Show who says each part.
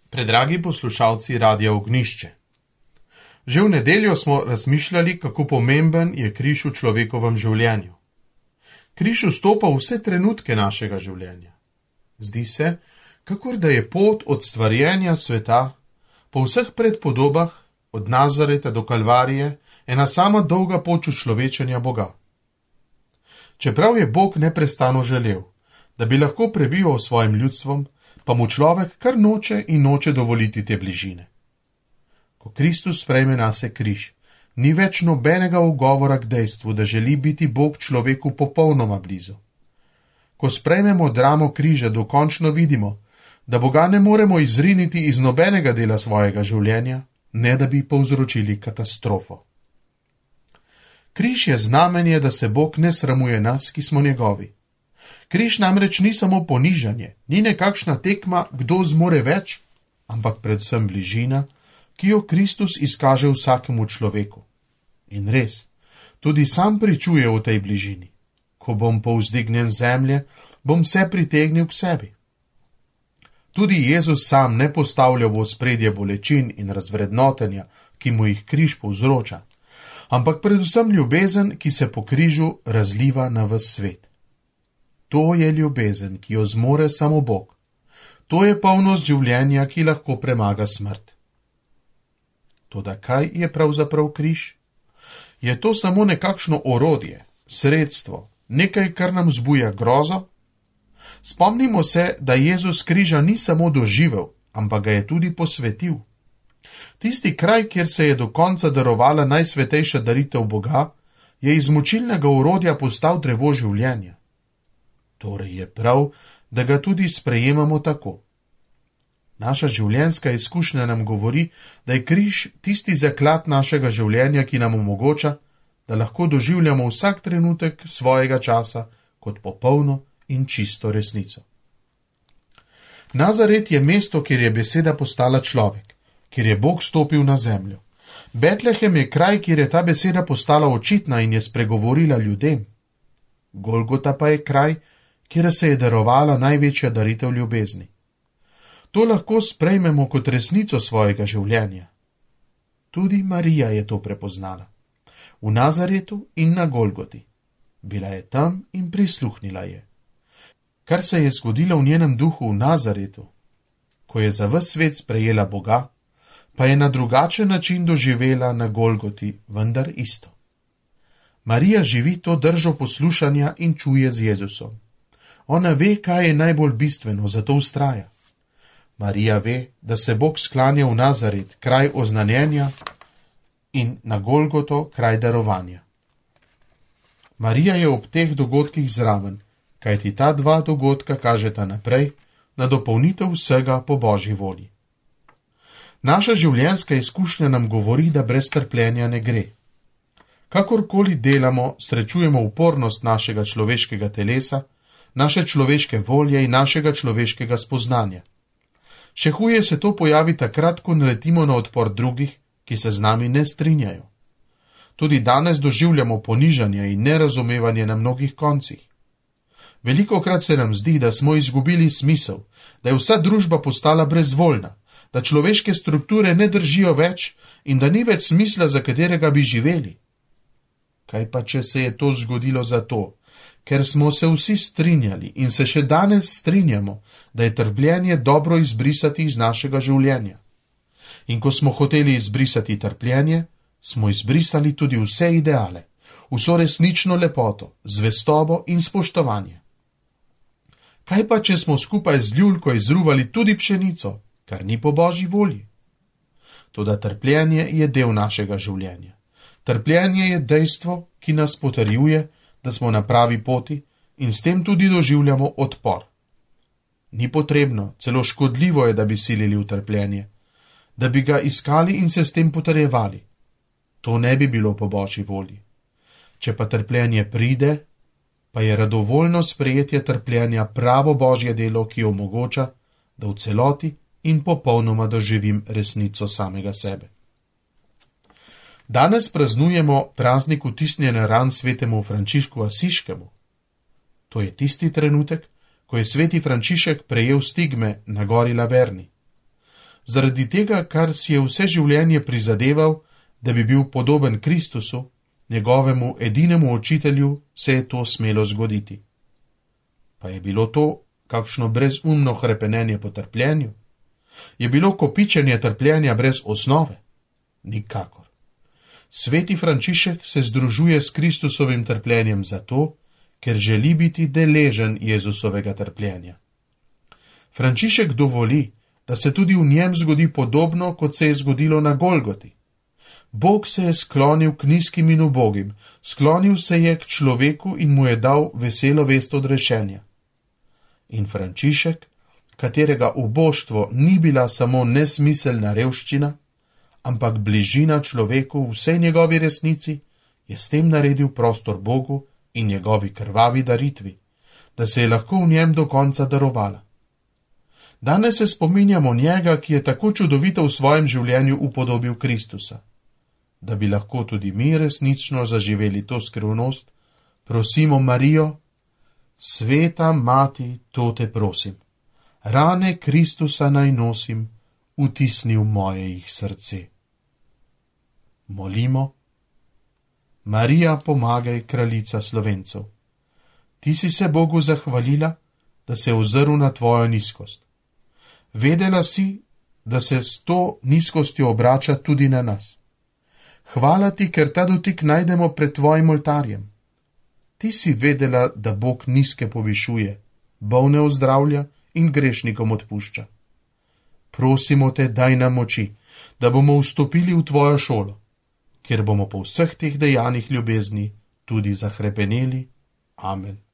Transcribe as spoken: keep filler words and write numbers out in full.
Speaker 1: Predragi poslušalci Radia Ognjišče. Že v nedeljo smo razmišljali, kako pomemben je križ v človekovem življenju. Križ vstopa v vse trenutke našega življenja. Zdi se, kakor da je pot od stvarjenja sveta, po vseh predpodobah, od Nazareta do Kalvarije, ena sama dolga pot človečenja Boga. Čeprav je Bog neprestano želel, da bi lahko prebival s svojim ljudstvom, pa mu človek kar noče in noče dovoliti te bližine. Ko Kristus sprejme nase križ, ni več nobenega ugovora k dejstvu, da želi biti Bog človeku popolnoma blizu. Ko sprejmemo dramo križa, dokončno vidimo, da Boga ne moremo izriniti iz nobenega dela svojega življenja, ne da bi povzročili katastrofo. Križ je znamenje, da se Bog ne sramuje nas, ki smo njegovi. Križ namreč ni samo ponižanje, ni nekakšna tekma, kdo zmore več, ampak predvsem bližina, ki jo Kristus izkaže vsakemu človeku. In res, tudi sam pričuje v tej bližini. Ko bom povzdignjen zemlje, bom vse pritegnil k sebi. Tudi Jezus sam ne postavlja v ospredje bolečin in razvrednotenja, ki mu jih križ povzroča, ampak predvsem ljubezen, ki se po križu razliva na ves svet. To je ljubezen, ki jo zmore samo Bog. To je polnost življenja, ki lahko premaga smrt. Toda kaj je pravzaprav križ? Je to samo nekakšno orodje, sredstvo, nekaj, kar nam zbuja grozo? Spomnimo se, da Jezus križa ni samo doživel, ampak ga je tudi posvetil. Tisti kraj, kjer se je do konca darovala najsvetejša daritev Boga, je iz mučilnega orodja postal drevo življenja. Torej je prav, da ga tudi sprejemamo tako. Naša življenjska izkušnja nam govori, da je križ tisti zaklad našega življenja, ki nam omogoča, da lahko doživljamo vsak trenutek svojega časa kot popolno in čisto resnico. Nazaret je mesto, kjer je beseda postala človek, kjer je Bog stopil na zemljo. Betlehem je kraj, kjer je ta beseda postala očitna in je spregovorila ljudem. Golgota pa je kraj, kjer se je darovala največja daritev ljubezni. To lahko sprejmemo kot resnico svojega življenja. Tudi Marija je to prepoznala. V Nazaretu in na Golgoti. Bila je tam in prisluhnila je. Kar se je zgodilo v njenem duhu v Nazaretu, ko je za ves svet sprejela Boga, pa je na drugačen način doživela na Golgoti, vendar isto. Marija živi to držo poslušanja in čuje z Jezusom. Ona ve, kaj je najbolj bistveno, zato vztraja. Marija ve, da se Bog sklanja v Nazaret, kraj oznanjenja, in na Golgoto, kraj darovanja. Marija je ob teh dogodkih zraven, kajti ta dva dogodka kažeta naprej na dopolnitev vsega po Božji volji. Naša življenjska izkušnja nam govori, da brez trpljenja ne gre. Kakorkoli delamo, srečujemo upornost našega človeškega telesa, naše človeške volje in našega človeškega spoznanja. Še huje se to pojavi takrat, ko naletimo na odpor drugih, ki se z nami ne strinjajo. Tudi danes doživljamo ponižanje in nerazumevanje na mnogih koncih. Velikokrat se nam zdi, da smo izgubili smisel, da je vsa družba postala brezvoljna, da človeške strukture ne držijo več in da ni več smisla, za katerega bi živeli. Kaj pa, če se je to zgodilo zato, ker smo se vsi strinjali in se še danes strinjamo, da je trpljenje dobro izbrisati iz našega življenja. In ko smo hoteli izbrisati trpljenje, smo izbrisali tudi vse ideale, vso resnično lepoto, zvestobo in spoštovanje. Kaj pa, če smo skupaj z ljulko izruvali tudi pšenico, kar ni po Božji volji? Toda trpljenje je del našega življenja. Trpljenje je dejstvo, ki nas potrjuje, da smo na pravi poti in s tem tudi doživljamo odpor. Ni potrebno, celo škodljivo je, da bi silili v trpljenje, da bi ga iskali in se s tem potrjevali. To ne bi bilo po Božji volji. Če pa trpljenje pride, pa je radovoljno sprejetje trpljenja pravo Božje delo, ki omogoča, da v celoti in popolnoma doživim resnico samega sebe. Danes praznujemo praznik vtisnjene ran svetemu Frančišku Asiškemu. To je tisti trenutek, ko je sveti Frančišek prejel stigme na gori Laverni. zaradi tega, kar si je vse življenje prizadeval, da bi bil podoben Kristusu, njegovemu edinemu učitelju, se je to smelo zgoditi. Pa je bilo to kakšno brezumno hrepenenje po trpljenju? Je bilo kopičenje trpljenja brez osnove? Nikakor. Sveti Frančišek se združuje s Kristusovim trpljenjem zato, ker želi biti deležen Jezusovega trpljenja. Frančišek dovoli, da se tudi v njem zgodi podobno, kot se je zgodilo na Golgoti. Bog se je sklonil k nizkim in ubogim, sklonil se je k človeku in mu je dal veselo vest odrešenja. In Frančišek, katerega uboštvo ni bila samo nesmiselna revščina, ampak bližina človeku v vsej njegovi resnici, je s tem naredil prostor Bogu in njegovi krvavi daritvi, da se je lahko v njem do konca darovala. Danes se spominjamo njega, ki je tako čudovito v svojem življenju upodobil Kristusa. Da bi lahko tudi mi resnično zaživeli to skrivnost, prosimo Marijo: Sveta mati, to te prosim, rane Kristusa naj nosim, vtisni v moje jih srce. Molimo: Marija, pomagaj, kraljica Slovencev. Ti si se Bogu zahvalila, da se je ozrl na tvojo nizkost. Vedela si, da se s to nizkostjo obrača tudi na nas. Hvala ti, ker ta dotik najdemo pred tvojim oltarjem. Ti si vedela, da Bog nizke povišuje, bolne ozdravlja in grešnikom odpušča. Prosimo te, daj nam moči, da bomo vstopili v tvojo šolo, kjer bomo po vseh teh dejanjih ljubezni tudi zahrepeneli. Amen.